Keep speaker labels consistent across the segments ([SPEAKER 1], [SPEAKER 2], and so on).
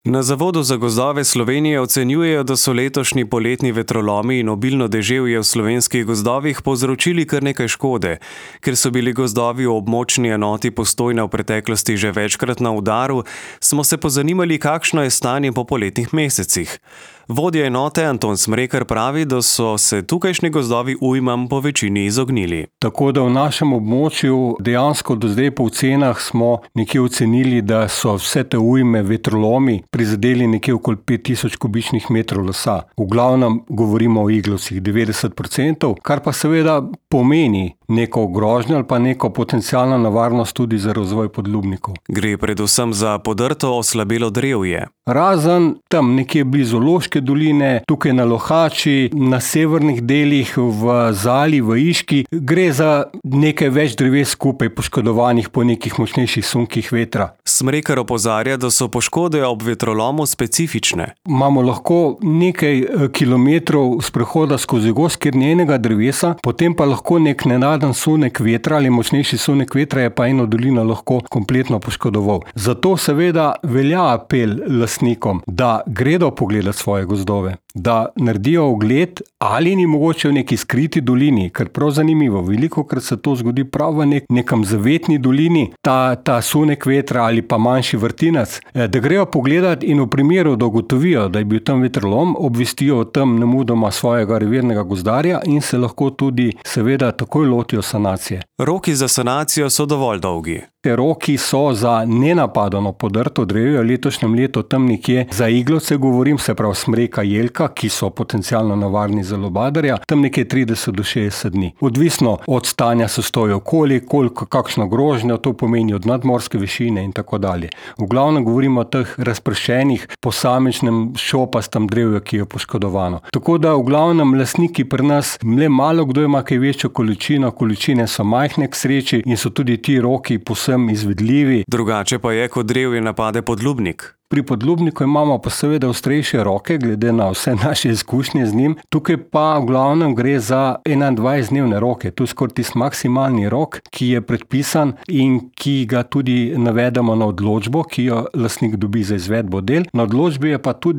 [SPEAKER 1] Na Zavodu za gozdove Slovenije ocenjujejo, da so letošnji poletni vetrolomi in obilno deževje v slovenskih gozdovih povzročili kar nekaj škode. Ker so bili gozdovi v območni enoti Postojna v preteklosti že večkrat na udaru, smo se pozanimali, kakšno je stanje po poletnih mesecih. Vodja enote Anton Smrekar pravi, da so se tukajšnji gozdovi ujmam po večini izognili.
[SPEAKER 2] Tako da v našem območju dejansko do zdaj po ocenah smo nekje ocenili, da so vse te ujme, vetrolomi, prizadeli nekje okoli 5000 kubičnih metrov lesa. V glavnem govorimo o iglovcih 90%, kar pa seveda pomeni neko grožnjo ali pa neko potencialno nevarnost tudi za razvoj podlubnikov.
[SPEAKER 1] Gre predvsem za podrto oslabelo drevje.
[SPEAKER 2] Razen tam nekje blizu Loške doline, tukaj na Lohači, na severnih delih, v Zali, v Iški, gre za nekaj več dreves skupaj poškodovanih po nekih močnejših sunkih vetra.
[SPEAKER 1] Smrekar opozarja, da so poškode ob vetrolomu specifične.
[SPEAKER 2] Imamo lahko nekaj kilometrov sprehoda skozi gozd, kjer ni enega drevesa, potem pa lahko nek nenaden sunek vetra ali močnejši sunek vetra je pa eno dolino lahko kompletno poškodoval. Zato seveda velja apel lastnikom, da gredo pogledati svoje gozdove, da naredijo ogled, ali ni mogoče v neki skriti dolini, ker prav zanimivo, velikokrat se to zgodi prav v nekam zavetni dolini, ta sunek vetra ali pa manjši vrtinac, da grejo pogledati in v primeru, da ugotovijo, da je bil tam vetrolom, obvestijo o tem nemudoma svojega revirnega gozdarja in se lahko tudi seveda takoj lotijo sanacije.
[SPEAKER 1] Roki za sanacijo so dovolj dolgi.
[SPEAKER 2] Te roki so za nenapadano podrto drevje v letošnjem letu tam nekje za iglovce, govorim, se pravi smreka, jelka, ki so potencialno nevarni za lubadarja, tam nekje 30 do 60 dni. Odvisno od stanja sostoja okolja, kakšno grožnjo to pomeni od nadmorske višine in tako dalje. V glavnem govorimo o teh razpršenih posamičnem šopastem drevju, ki je poškodovano. Tako da v glavnem lastniki pri nas le malo kdo ima kaj večjo količino, količine so majhne k sreči in so tudi ti roki izvedljivi.
[SPEAKER 1] Drugače pa je, ko drevje napade podlubnik.
[SPEAKER 2] Pri podlubniku imamo pa seveda ostrejše roke, glede na vse naše izkušnje z njim. Tukaj pa v glavnem gre za 21-dnevne roke. Tu je skoraj tisti maksimalni rok, ki je predpisan in ki ga tudi navedemo na odločbo, ki jo lastnik dobi za izvedbo del. Na odločbi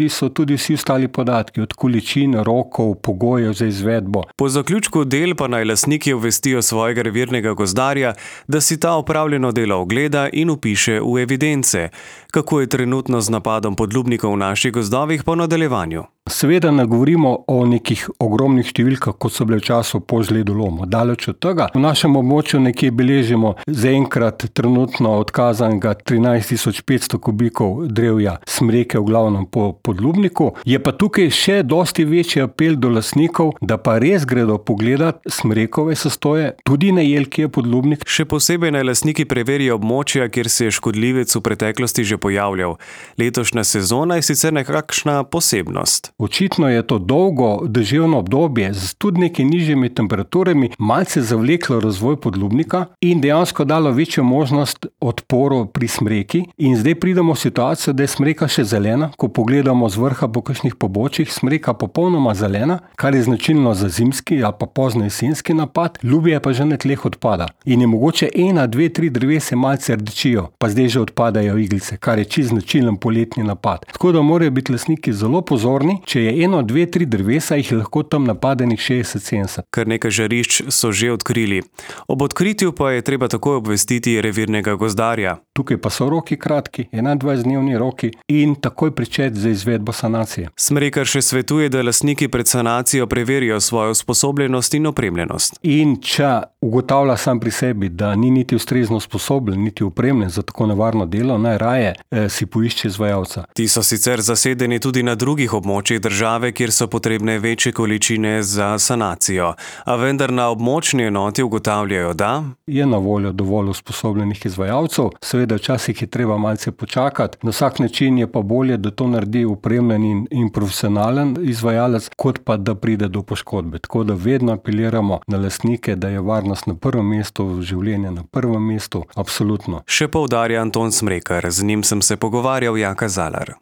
[SPEAKER 2] so tudi vsi ostali podatki, od količin, rokov, pogojev za izvedbo.
[SPEAKER 1] Po zaključku del pa naj lastniki obvestijo svojega revirnega gozdarja, da si ta opravljeno delo ogleda in vpiše v evidence. Kako je trenutno z napadom podlubnikov v naših gozdovih po nadaljevanju?
[SPEAKER 2] Seveda ne govorimo o nekih ogromnih številkah, kot so bile v času po žledolomu. Daleč od tega. V našem območju nekje beležimo zaenkrat trenutno odkazanega 13.500 kubikov drevja smreke v glavnem po podlubniku. Je pa tukaj še dosti večji apel do lastnikov, da pa res gredo pogledat smrekove sostoje, tudi na jelki je podlubnik.
[SPEAKER 1] Še posebej naj lastniki preverijo območja, kjer se je škodljivec v preteklosti že pojavljal. Letošnja sezona je sicer nekakšna posebnost.
[SPEAKER 2] Očitno je to dolgo deževno obdobje z tudi nekaj nižjimi temperaturami malce zavleklo razvoj podlubnika in dejansko dalo večjo možnost odporu pri smreki. In zdaj pridemo v situacijo, da je smreka še zelena. Ko pogledamo z vrha po kakšnih pobočjih, smreka popolnoma zelena, kar je značilno za zimski ali pa pozno jesenski napad, ljubje pa že na tleh odpada. In je mogoče 1, 2, 3 drevesa malce rdečijo, pa zdaj že odpadajo iglice, kar je čisto značilen poletni napad. Tako da morajo biti lastniki zelo pozorni. Če je 1, 2, 3 drevesa, jih lahko tam napadenih 60-70.
[SPEAKER 1] Kar nekaj žarišč so že odkrili. Ob odkritju pa je treba takoj obvestiti revirnega gozdarja.
[SPEAKER 2] Tukaj pa so roki kratki, 21-dnevni roki in takoj pričeti za izvedbo sanacije.
[SPEAKER 1] Smrekar še svetuje, da lastniki pred sanacijo preverijo svojo usposobljenost in opremljenost.
[SPEAKER 2] In če ugotavlja sam pri sebi, da ni niti ustrezno usposobljen, niti opremljen za tako nevarno delo, najraje si poišče izvajalca.
[SPEAKER 1] Ti so sicer zasedeni tudi na drugih območjih države, kjer so potrebne večje količine za sanacijo. A vendar na območni enoti ugotavljajo, da
[SPEAKER 2] je na voljo dovolj usposobljenih izvajalcev. Seveda včasih je treba malce počakati. Na vsak način je pa bolje, da to naredi opremljen in profesionalen izvajalec, kot pa da pride do poškodbe. Tako da vedno apeliramo na lastnike, da je varnost na prvem mestu, življenje na prvem mestu. Absolutno.
[SPEAKER 1] Še poudarja Anton Smrekar, z njim sem se pogovarjal Jaka Zalar.